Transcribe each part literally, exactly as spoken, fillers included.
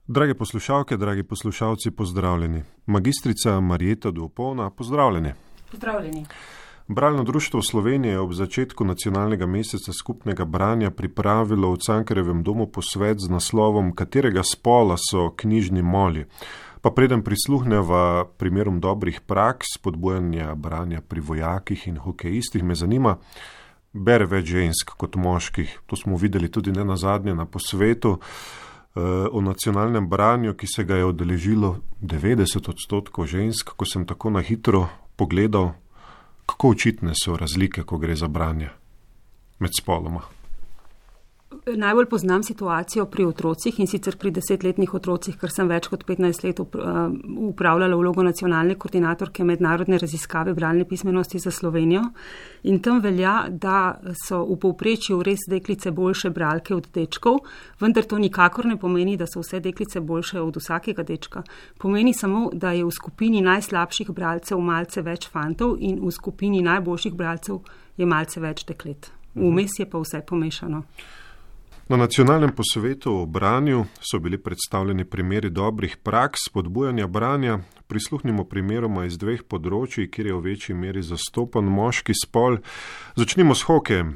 Drage poslušalke, dragi poslušalci, pozdravljeni. Magistrica Marjeta Duopolna, pozdravljeni. Pozdravljeni. Bralno društvo Slovenije je ob začetku nacionalnega meseca skupnega branja pripravilo v Cankarjevem domu posvet z naslovom Katerega spola so knjižni moli. Pa preden prisluhneva primerom dobrih praks, spodbujanja branja pri vojakih in hokejistih, me zanima, bere več žensk kot moških. To smo videli tudi ne nazadnje na posvetu o nacionalnem branju, ki se ga je udeležilo devetdeset odstotkov žensk. Ko sem tako na hitro pogledal, kako očitne so razlike, ko gre za branje med spoloma. Najbolj poznam situacijo pri otrocih in sicer pri desetletnih otrocih, ker sem več kot petnajst let upravljala vlogo nacionalne koordinatorke mednarodne raziskave bralne pismenosti za Slovenijo. In tam velja, da so v povprečju res deklice boljše bralke od dečkov, vendar to nikakor ne pomeni, da so vse deklice boljše od vsakega dečka. Pomeni samo, da je v skupini najslabših bralcev malce več fantov in v skupini najboljših bralcev je malce več deklet. Vmes je pa vse pomešano. Na nacionalnem posvetu o branju so bili predstavljeni primeri dobrih praks spodbujanja branja. Prisluhnimo primeroma iz dveh področij, kjer je v večji meri zastopan moški spol. Začnimo s hokejem.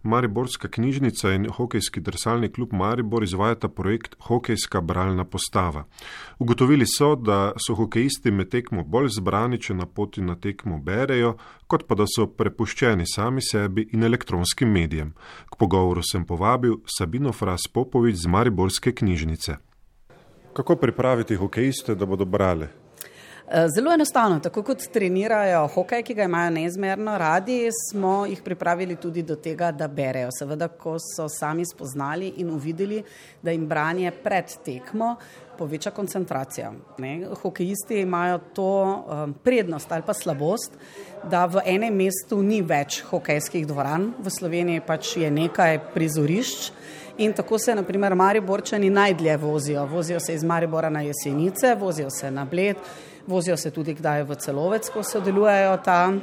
Mariborska knjižnica in hokejski drsalni klub Maribor izvajata projekt Hokejska bralna postava. Ugotovili so, da so hokejisti med tekmo bolj zbrani, če na poti na tekmo berejo, kot pa da so prepuščeni sami sebi in elektronskim medijem. K pogovoru sem povabil Sabino Fras Popovič z Mariborske knjižnice. Kako pripraviti hokejiste, da bodo brali? Zelo enostavno, tako kot trenirajo hokej, ki ga imajo neizmerno radi, smo jih pripravili tudi do tega, da berejo. Seveda, ko so sami spoznali in uvideli, da jim branje pred tekmo poveča koncentracijo. Ne? Hokejisti imajo to um, prednost ali pa slabost, da v enem mestu ni več hokejskih dvoran, v Sloveniji pač je nekaj prizorišč. In tako se, na primer, Mariborčani najdlje vozijo. Vozijo se iz Maribora na Jesenice, vozijo se na Bled, vozijo se tudi kdaj v Celovec, ko sodelujejo ta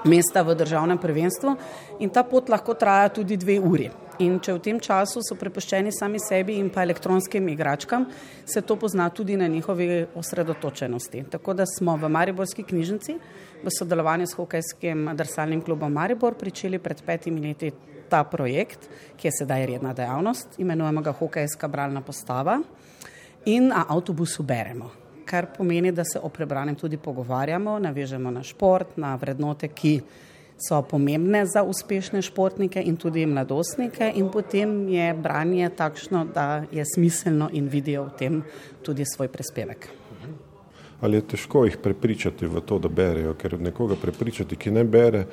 mesta v državnem prvenstvu. In ta pot lahko traja tudi dve uri. In če v tem času so prepuščeni sami sebi in pa elektronskim igračkam, se to pozna tudi na njihovi osredotočenosti. Tako da smo v Mariborski knjižnici v sodelovanju s hokejskim drsalnim klubom Maribor pričeli pred petimi leti ta projekt, ki je sedaj redna dejavnost, imenujemo ga Hokejska bralna postava in na avtobusu beremo, kar pomeni, da se o prebranem tudi pogovarjamo, navežemo na šport, na vrednote, ki so pomembne za uspešne športnike in tudi mladostnike in potem je branje takšno, da je smiselno in vidijo v tem tudi svoj prispevek. Ali je težko jih prepričati v to, da berejo, ker nekoga prepričati, ki ne bere,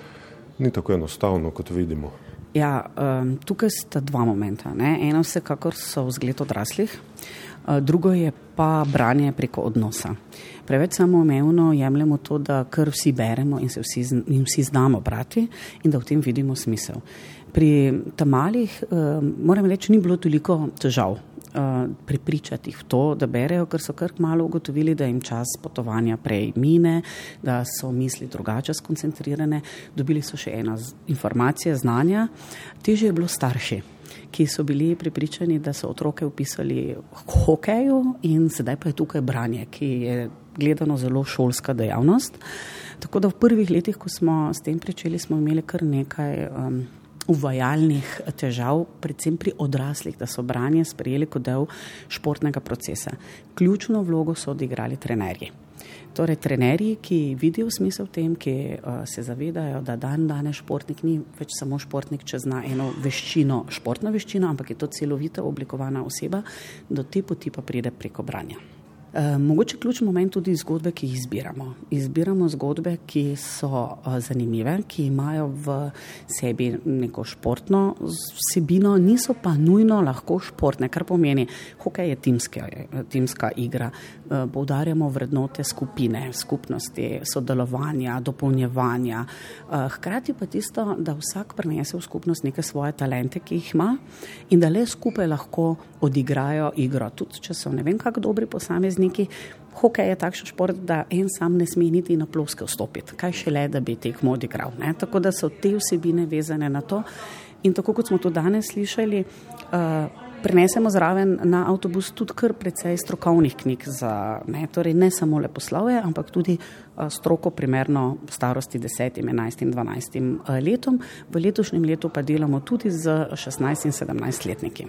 ni tako enostavno, kot vidimo? Ja, tukaj sta dva momenta. Ne? Eno vsekakor so vzgled odraslih, drugo je pa branje preko odnosa. Preveč samoumevno jemljemo to, da kar vsi beremo in se vsi, in vsi znamo brati in da v tem vidimo smisel. Pri tamalih, moram reči, ni bilo toliko težav prepričati jih v to, da berejo, ker so kar malo ugotovili, da jim čas potovanja prej mine, da so misli drugače skoncentrirane, dobili so še ena informacija, znanja. Težje je bilo starši, ki so bili prepričani, da so otroke upisali k hokeju in sedaj pa je tukaj branje, ki je gledano zelo šolska dejavnost. Tako da v prvih letih, ko smo s tem pričeli, smo imeli kar nekaj um, uvajalnih težav, predvsem pri odraslih, da so branje sprejeli kot del športnega procesa. Ključno vlogo so odigrali trenerji. Torej, trenerji, ki vidijo smisel v tem, ki uh, se zavedajo, da dan danes športnik ni več samo športnik, če zna eno veščino, športno veščino, ampak je to celovita oblikovana oseba, do te poti pa pride preko branja. Uh, mogoče ključni moment tudi zgodbe, ki jih izbiramo. Izbiramo zgodbe, ki so uh, zanimive, ki imajo v sebi neko športno vsebino, niso pa nujno lahko športne, kar pomeni, hokej je timske, timska igra. Uh, poudarjamo vrednote skupine, skupnosti, sodelovanja, dopolnjevanja. Uh, hkrati pa tisto, da vsak prinese v skupnost neke svoje talente, ki jih ima in da le skupaj lahko odigrajo igro. Tudi če so ne vem kak dobri posamezniki, hokej je takšen šport, da en sam ne sme niti na ploske vstopiti. Kaj šele, da bi tekmo odigral. Ne? Tako da so te vsebine vezane na to. In tako kot smo to danes slišali, uh, Prinesemo zraven na avtobus tudi kar precej strokovnih knjig za, ne, torej ne samo leposlovje, ampak tudi stroko primerno starosti desetim, enajstim, dvanajstim letom. V letošnjem letu pa delamo tudi z šestnajst in sedemnajst letniki.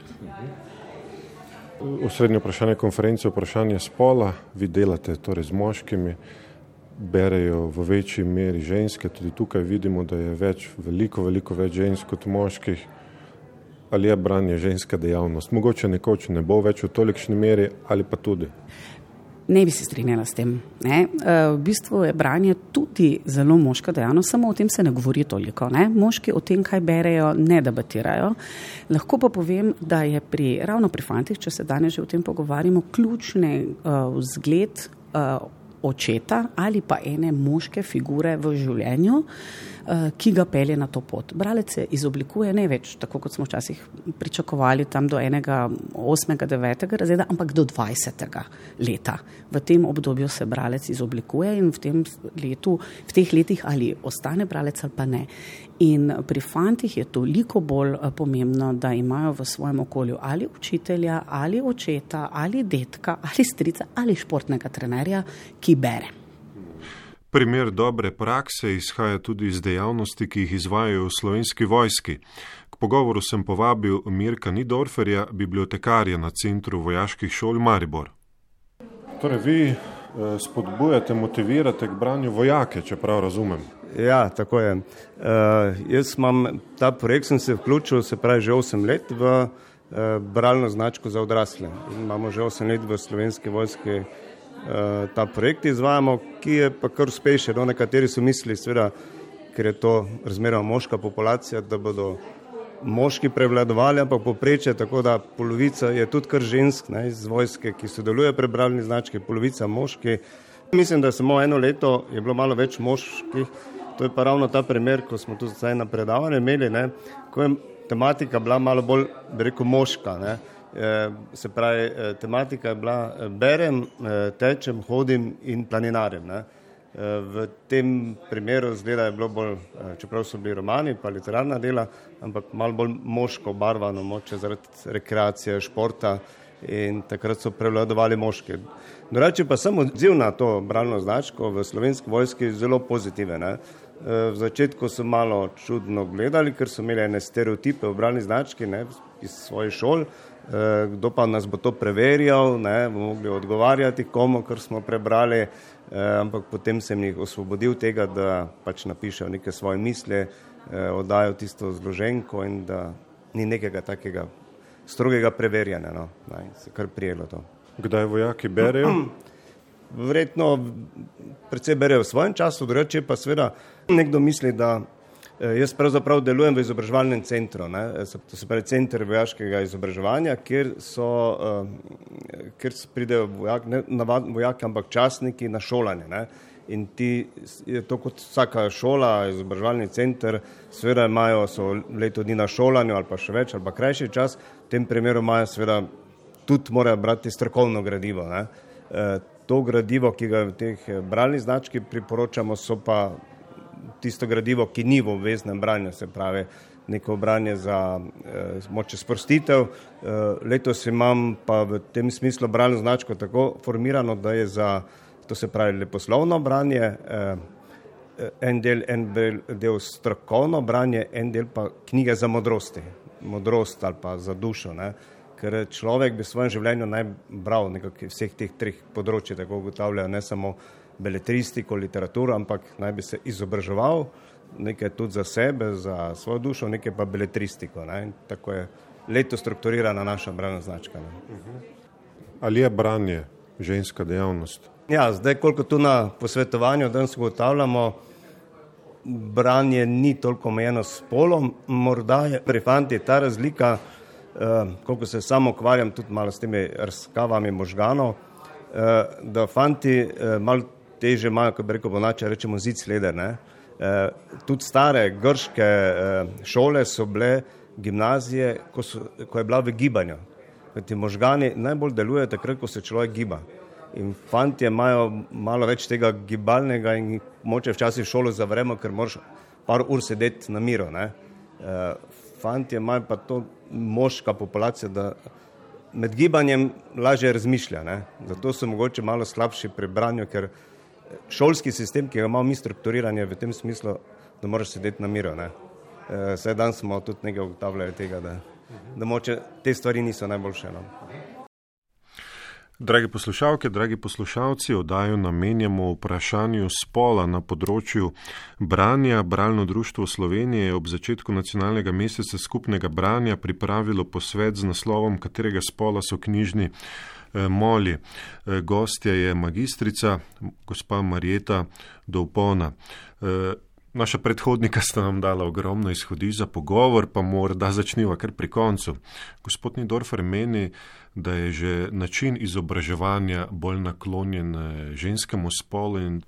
Osrednje vprašanje konference je vprašanje spola. Vi delate torej z moškimi, berejo v večji meri ženske. Tudi tukaj vidimo, da je več, veliko, veliko več žensk kot moških. Ali je branje ženska dejavnost? Mogoče nekoč ne bo več v tolikšni meri, ali pa tudi? Ne bi se strinjala s tem. Ne? V bistvu je branje tudi zelo moška dejavnost, samo o tem se ne govori toliko. Ne? Moški o tem, kaj berejo, ne debatirajo. Lahko pa povem, da je pri, ravno pri fantih, če se danes že o tem pogovarjamo, ključni uh, vzgled uh, očeta ali pa ene moške figure v življenju, ki ga pelje na to pot. Bralec se izoblikuje ne več, tako kot smo včasih pričakovali, tam do enega osmega, devetega razreda, ampak do dvajsetega leta. V tem obdobju se bralec izoblikuje in v tem letu, v teh letih ali ostane bralec ali pa ne. In pri fantih je toliko bolj pomembno, da imajo v svojem okolju ali učitelja, ali očeta, ali detka, ali strica, ali športnega trenerja, ki bere. Primer dobre prakse izhaja tudi iz dejavnosti, ki jih izvajajo v Slovenski vojski. K pogovoru sem povabil Mirka Nidorferja, bibliotekarja na Centru vojaških šol Maribor. Torej, vi spodbujate, motivirate k branju vojake, če prav razumem. Ja, tako je. Uh, jaz imam ta projekt, sem se vključil, se pravi že osem let v uh, bralno značko za odrasle. Imamo že osem let v Slovenski vojski ta projekt izvajamo, ki je pa kar uspešen. No, nekateri so mislili, seveda, ker je to razmeroma moška populacija, da bodo moški prevladovali, ampak povprečje, tako da polovica je tudi kar žensk, ne, iz vojske, ki sodeluje pri bralni znački, polovica moški. Mislim, da samo eno leto je bilo malo več moških. To je pa ravno ta primer, ko smo tu zdaj na predavanju imeli, ne, ko je tematika bila malo bolj, bi rekel, moška, ne. Se pravi, tematika je bila berem, tečem, hodim in planinarjem. Ne. V tem primeru zgleda je bilo bolj, čeprav so bili romani pa literarna dela, ampak malo bolj moško barvano, moče zaradi rekreacije, športa in takrat so prevladovali moški. Drugače pa sem odziv na to bralno značko v Slovenski vojski zelo pozitiven. Ne. V začetku so malo čudno gledali, ker so imeli ene stereotipe v bralni znački, ne, iz svojih šol. Kdo pa nas bo to preverjal, ne, bomo mogli odgovarjati komu, kar smo prebrali, eh, ampak potem sem jih osvobodil tega, da pač napišejo neke svoje misli, eh, oddajo tisto zloženko in da ni nekega takega strogega preverjanja. No, ne, se kar prijelo to. Kdaj vojaki berejo? Verjetno predvsej berejo v svojem času, drugače pa seveda nekdo misli, da jaz pravzaprav delujem v izobraževalnem centru, ne, to se pravi center vojaškega izobraževanja, kjer so, kjer pridejo vojak, ne navadni vojaki, ampak častniki na šolanje, ne. In ti, je to kot vsaka šola, izobraževalni center, seveda imajo, so leto dni na šolanju ali pa še več ali pa krajši čas, v tem primeru imajo seveda tudi morajo brati strokovno gradivo, ne. To gradivo, ki ga v teh bralni znački priporočamo, so pa tisto gradivo, ki ni v obveznem branju, se pravi neko branje za eh, moče sprostitev. Eh, letos imam pa v tem smislu bralno značko tako formirano, da je za, to se pravi leposlovno branje, eh, en del, en del, del strokovno branje, en del pa knjige za modrosti, modrost ali pa za dušo, ne. Ker človek bi v svojem življenju naj bral nekako vseh teh treh področji, tako ugotavljajo, ne samo beletristiko, literaturo, ampak naj bi se izobraževal, nekaj tudi za sebe, za svojo dušo, nekaj pa beletristiko. Ne? Tako je leto strukturirana naša bralna značka. Ne? Ali je branje ženska dejavnost? Ja, zdaj, koliko tu na posvetovanju danes ugotavljamo, branje ni toliko omejeno s spolom, morda je pri fantih ta razlika, eh, koliko se samo ukvarjam tudi malo s temi razkavami možganov, eh, da fanti eh, malo teže imajo, kot bi rekel ponače, rečemo zic leder. Ne? E, tudi stare grške e, šole so bile gimnazije, ko, so, ko je bila v gibanju. Ti možgani najbolj delujejo takrat, ko se človek giba. In fantje imajo malo več tega gibalnega in moče včasih šolo zavremo, ker moraš par ur sedeti na miru. Ne? E, fantje imajo pa to moška populacija, da med gibanjem lažje razmišlja, ne? Zato so mogoče malo slabši pri branju, ker šolski sistem, ki ga imamo mi strukturiranje v tem smislu, da moraš sedeti na miru, ne? E, Saj dan smo tudi nekaj ugotavljali tega, da, da moče te stvari niso najboljše, no? Dragi poslušalke, dragi poslušalci, oddajo namenjamo vprašanju spola na področju branja. Bralno društvo Slovenije je ob začetku nacionalnega meseca skupnega branja pripravilo posvet z naslovom Katerega spola so knjižni eh, moli. Eh, gostja je magistrica, gospa Marjeta Dovpona. Eh, Naša predhodnika sta nam dala ogromno izhodišč za pogovor, pa morda začniva kar pri koncu. Gospod Nidorfer meni, da je že način izobraževanja bolj naklonjen ženskemu spolu. In...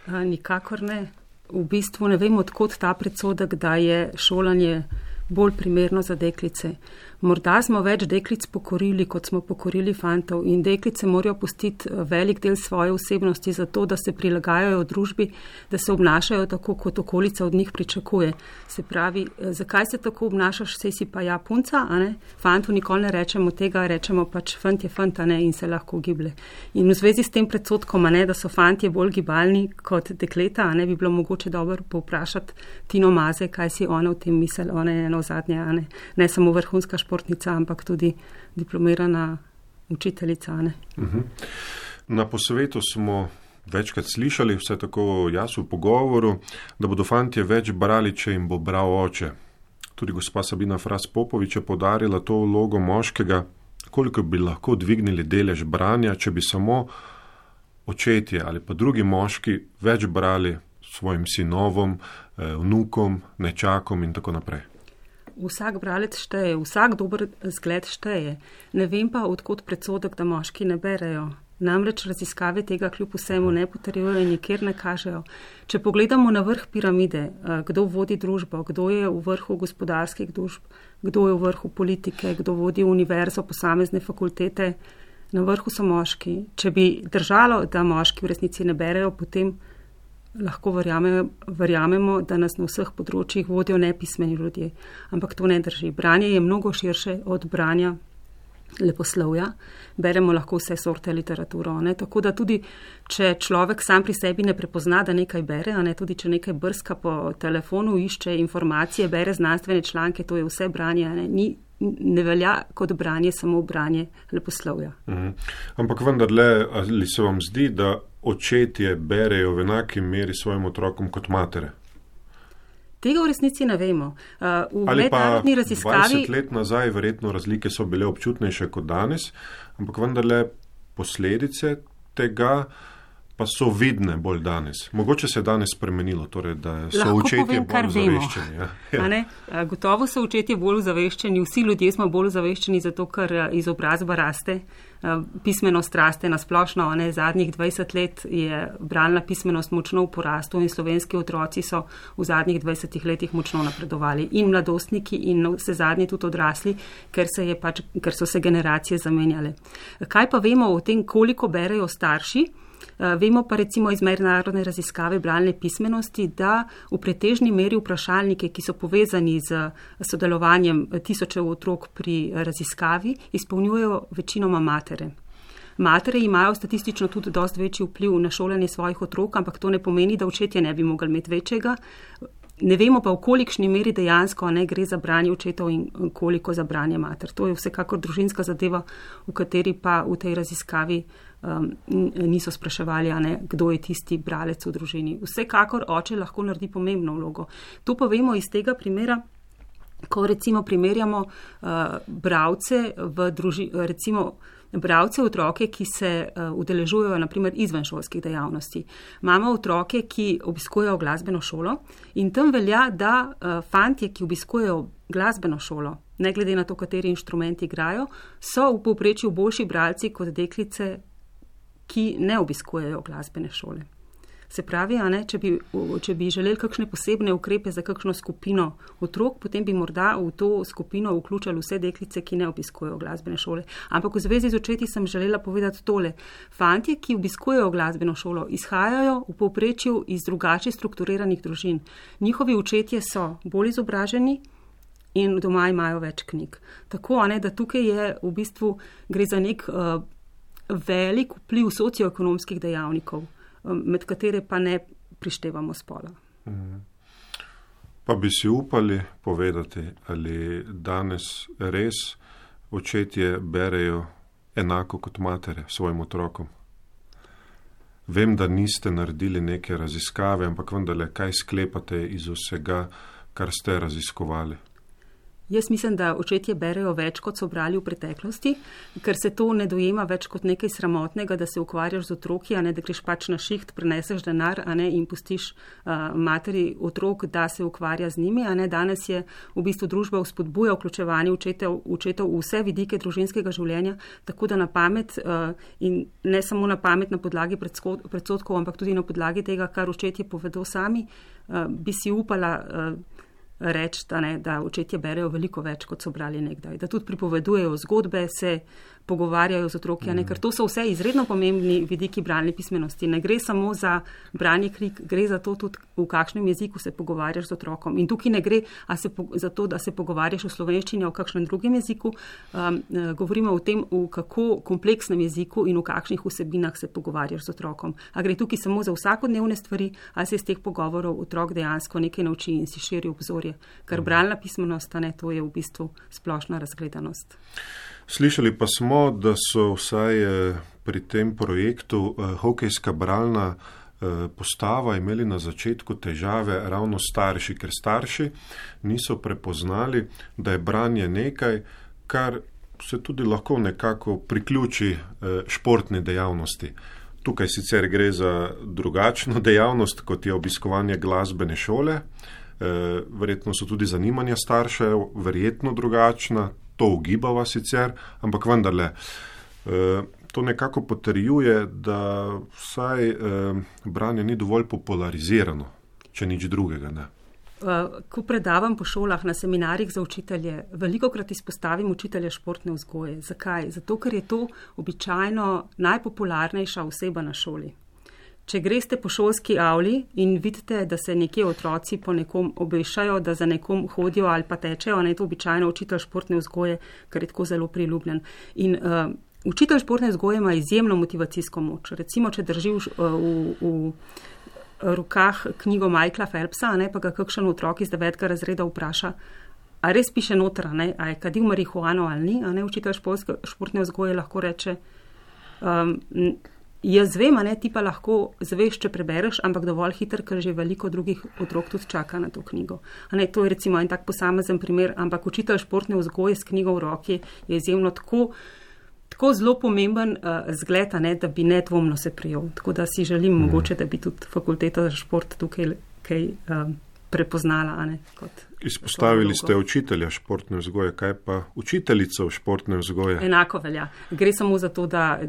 Nikakor ne. V bistvu ne vem, odkot ta predsodek, da je šolanje bolj primerno za deklice. Morda smo več deklic pokorili, kot smo pokorili fantov, in deklice morajo pustiti velik del svoje osebnosti za to, da se prilagajajo družbi, da se obnašajo tako, kot okolica od njih pričakuje. Se pravi, zakaj se tako obnašaš, sej si pa ja punca, a ne? Fantu nikoli ne rečemo tega, rečemo pač fant je fant, a ne, in se lahko giblje. In v zvezi s tem predsodkom, a ne, da so fantje bolj gibalni kot dekleta, a ne, bi bilo mogoče dobro povprašati Tino Maze, kaj si ona v tem misel, ona je eno zadnje, a ne, ne samo vrhunska športnica, ampak tudi diplomirana učiteljica. Ne? Uh-huh. Na posvetu smo večkrat slišali, vse tako jaz v pogovoru, da bodo fantje več brali, če jim bo bral oče. Tudi gospa Sabina Fras Popovič je podarila to vlogo moškega, koliko bi lahko dvignili delež branja, če bi samo očetje ali pa drugi moški več brali svojim sinovom, vnukom, nečakom in tako naprej. Vsak bralec šteje, vsak dober zgled šteje. Ne vem pa, odkot predsodek, da moški ne berejo. Namreč raziskave tega kljub vsemu ne potrjujejo in nikjer ne kažejo. Če pogledamo na vrh piramide, kdo vodi družbo, kdo je v vrhu gospodarskih družb, kdo je v vrhu politike, kdo vodi univerzo, posamezne fakultete, na vrhu so moški. Če bi držalo, da moški v resnici ne berejo, potem lahko verjamemo, verjamemo, da nas na vseh področjih vodijo nepismeni ljudje. Ampak to ne drži. Branje je mnogo širše od branja leposlovja. Beremo lahko vse sorte literaturo. Ne? Tako da tudi, če človek sam pri sebi ne prepozna, da nekaj bere, a ne tudi, če nekaj brska po telefonu, išče informacije, bere znanstvene članke, to je vse branje. Ne, Ni, ne velja kot branje samo branje leposlovja. Mhm. Ampak vendarle, ali se vam zdi, da očetje berejo v enaki meri svojim otrokom kot matere? Tega v resnici ne vemo. Uh, v Ali pa raziskavi... dvajset let nazaj verjetno razlike so bile občutnejše kot danes, ampak vendarle posledice tega pa so vidne bolj danes. Mogoče se je danes spremenilo, torej, da so Lahko očetje povem, bolj zaveščeni. Ja. Ja. Ne? Gotovo so očetje bolj zaveščeni, vsi ljudje smo bolj zaveščeni, zato ker izobrazba raste, pismenost raste na splošno. Ne? Zadnjih dvajset let je bralna pismenost močno v porastu in slovenski otroci so v zadnjih dvajsetih letih močno napredovali. In mladostniki in vse zadnji tudi odrasli, ker, se je pač, ker so se generacije zamenjale. Kaj pa vemo o tem, koliko berejo starši? Vemo pa recimo iz mednarodne raziskave bralne pismenosti, da v pretežni meri vprašalnike, ki so povezani z sodelovanjem tisočev otrok pri raziskavi, izpolnjujejo večinoma matere. Matere imajo statistično tudi dosti večji vpliv na šolanje svojih otrok, ampak to ne pomeni, da očetje ne bi mogli imeti večjega. Ne vemo pa, v kolikšni meri dejansko ne gre za branje očetov in koliko za branje mater. To je vsekakor družinska zadeva, v kateri pa v tej raziskavi um, niso spraševali, a ne, kdo je tisti bralec v družini. Vsekakor oče lahko naredi pomembno vlogo. To pa vemo iz tega primera, ko recimo primerjamo uh, bralce v družini, recimo Bravce otroke, ki se uh, udeležujejo naprimer izvenšolskih dejavnosti. Imamo otroke, ki obiskujejo glasbeno šolo in tam velja, da uh, fantje, ki obiskujejo glasbeno šolo, ne glede na to, kateri inštrumenti igrajo, so v povprečju boljši bralci kot deklice, ki ne obiskujejo glasbene šole. Se pravi, a ne, če bi, če bi želeli kakšne posebne ukrepe za kakšno skupino otrok, potem bi morda v to skupino vključili vse deklice, ki ne obiskujejo glasbene šole. Ampak v zvezi z očeti sem želela povedati tole. Fantje, ki obiskujejo glasbeno šolo, izhajajo v povprečju iz drugače strukturiranih družin. Njihovi očetje so bolj izobraženi, in doma imajo več knjig. Tako, a ne, da tukaj je v bistvu gre za nek uh, velik vpliv socioekonomskih dejavnikov, um, med katere pa ne prištevamo spola. Mhm. Pa bi si upali povedati, ali danes res očetje berejo enako kot matere svojim otrokom? Vem, da niste naredili neke raziskave, ampak vendarle, kaj sklepate iz vsega, kar ste raziskovali? Jaz mislim, da očetje berejo več, kot so brali v preteklosti, ker se to ne dojema več kot nekaj sramotnega, da se ukvarjaš z otroki, a ne da greš pač na šiht, preneseš denar, a ne in pustiš uh, materi otrok, da se ukvarja z njimi. A ne danes je v bistvu družba vzpodbuja vključevanje očetov, očetov v vse vidike družinskega življenja, tako da na pamet uh, in ne samo na pamet na podlagi predsodkov, ampak tudi na podlagi tega, kar očetje povedo sami, uh, bi si upala uh, reči, da, ne, da očetje berejo veliko več, kot so brali nekdaj. Da tudi pripovedujejo zgodbe, se pogovarjajo z otroki, mm. ker to so vse izredno pomembni vidiki bralne pismenosti. Ne gre samo za branje knjig, gre za to tudi, v kakšnem jeziku se pogovarjaš z otrokom. In tukaj ne gre a se po, za to, da se pogovarjaš v slovenščini, v kakšnem drugem jeziku. Um, govorimo o tem, v kako kompleksnem jeziku in v kakšnih vsebinah se pogovarjaš z otrokom. A gre tukaj samo za vsakodnevne stvari, a se iz teh pogovorov otrok dejansko nekaj nauči in si širi obzorje. Ker bralna pismenost, ne, to je v bistvu splošna razgledanost. Slišali pa smo, da so vsaj pri tem projektu hokejska bralna postava imeli na začetku težave ravno starši, ker starši niso prepoznali, da je branje nekaj, kar se tudi lahko nekako priključi športni dejavnosti. Tukaj sicer gre za drugačno dejavnost, kot je obiskovanje glasbene šole. Verjetno so tudi zanimanja staršev verjetno drugačna, to ugibava sicer, ampak vendarle, to nekako potrjuje, da vsaj branje ni dovolj popularizirano, če nič drugega ne. Ko predavam po šolah na seminarjih za učitelje, velikokrat izpostavim učitelja športne vzgoje. Zakaj? Zato, ker je to običajno najpopularnejša oseba na šoli. Če greste po šolski avli in vidite, da se nekje otroci po nekom obešajo, da za nekom hodijo ali pa tečejo, ne je to običajno učitelj športne vzgoje, ker je tako zelo priljubljen. In uh, učitelj športne vzgoje ima izjemno motivacijsko moč. Recimo, če drži v, v, v rokah knjigo Michaela Phelpsa, ne, pa ga kakšen otrok iz devetega razreda vpraša, a res piše noter, ne, a je kadil marihuano ali ni, a ne, učitelj športne vzgoje lahko reče, um, jaz vem, a ne, ti pa lahko zveš, če prebereš, ampak dovolj hiter, ker že veliko drugih otrok tudi čaka na to knjigo. A ne, to je recimo en tak posamezen primer, ampak učitelj športne vzgoje s knjigo v roki je izjemno tako, tako zelo pomemben uh, zgled, a ne, da bi nedvomno se prijel. Tako da si želim mm. mogoče, da bi tudi fakulteta za šport tukaj kaj um, prepoznala, a ne, kot Izpostavili ste učitelja športne vzgoje, kaj pa učiteljico športne vzgoje? Enako velja. Gre samo za to, da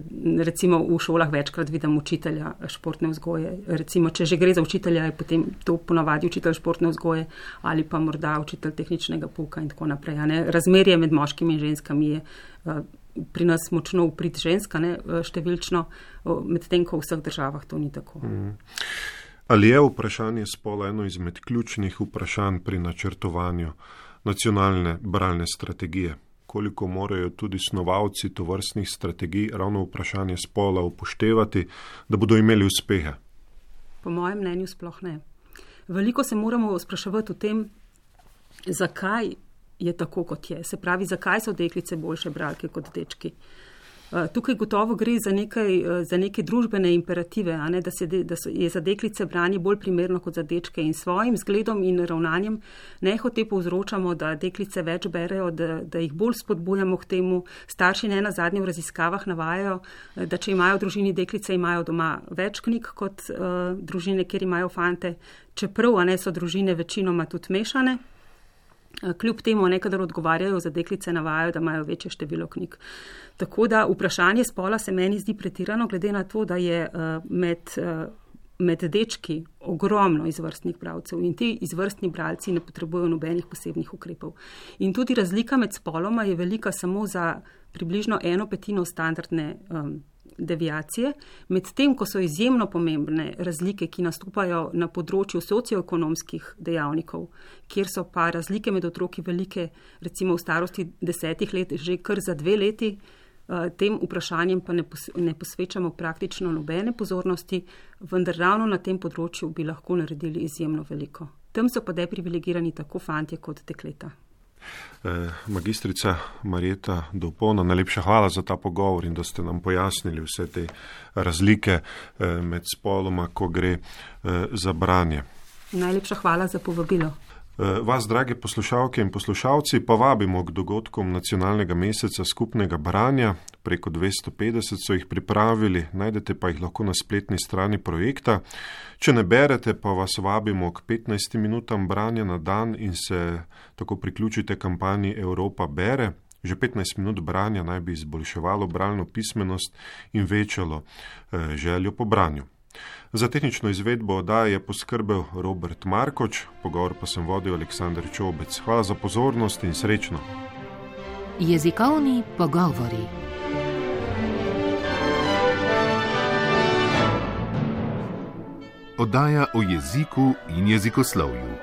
recimo v šolah večkrat vidim učitelja športne vzgoje. Recimo, če že gre za učitelja, je potem to ponavadi učitelj športne vzgoje ali pa morda učitelj tehničnega pouka in tako naprej. Ne? Razmerje med moškimi in ženskami je pri nas močno uprit ženska, ne, številčno, medtem ko v vseh državah to ni tako. Mm. Ali je vprašanje spola eno izmed ključnih vprašanj pri načrtovanju nacionalne bralne strategije? Koliko morajo tudi snovalci tovrstnih strategij ravno vprašanje spola upoštevati, da bodo imeli uspehe? Po mojem mnenju sploh ne. Veliko se moramo spraševati o tem, zakaj je tako, kot je. Se pravi, zakaj so deklice boljše bralke kot dečki. Tukaj gotovo gre za, nekaj, za neke družbene imperative, a ne, da, se de, da so, je za deklice branje bolj primerno kot za dečke in svojim zgledom in ravnanjem nehote povzročamo, da deklice več berejo, da, da jih bolj spodbujamo k temu. Starši ne na zadnje v raziskavah navajajo, da če imajo v družini deklice, imajo doma več knjig kot uh, družine, kjer imajo fante, čeprav a ne so družine večinoma tudi mešane. Kljub temu nekadar odgovarjajo za deklice, navajajo, da imajo večje število knjig. Tako da vprašanje spola se meni zdi pretirano, glede na to, da je med, med dečki ogromno izvrstnih bralcev in ti izvrstni bralci ne potrebujejo nobenih posebnih ukrepov. In tudi razlika med spoloma je velika samo za približno eno petino standardne um, deviacije, medtem ko so izjemno pomembne razlike, ki nastopajo na področju socioekonomskih dejavnikov, kjer so pa razlike med otroki velike, recimo v starosti desetih let, že kar za dve leti, tem vprašanjem pa ne, pos, ne posvečamo praktično nobene pozornosti, vendar ravno na tem področju bi lahko naredili izjemno veliko. Tam so pa deprivilegirani tako fantje kot dekleta. Magistrica Marjeta Dovpona, najlepša hvala za ta pogovor in da ste nam pojasnili vse te razlike med spoloma, ko gre za branje. Najlepša hvala za povabilo. Vas, drage poslušalke in poslušalci, pa vabimo k dogodkom nacionalnega meseca skupnega branja. Preko dvesto petdeset so jih pripravili, najdete pa jih lahko na spletni strani projekta. Če ne berete, pa vas vabimo k petnajstim minutam branja na dan in se tako priključite kampanji Evropa bere. Že petnajst minut branja naj bi izboljševalo bralno pismenost in večalo eh, željo po branju. Za tehnično izvedbo oddaje je poskrbel Robert Markoč, pogovor pa sem vodil Aleksandar Čobec. Hvala za pozornost in srečno. Jezikovni pogovori. Oddaja o jeziku in jezikoslovju.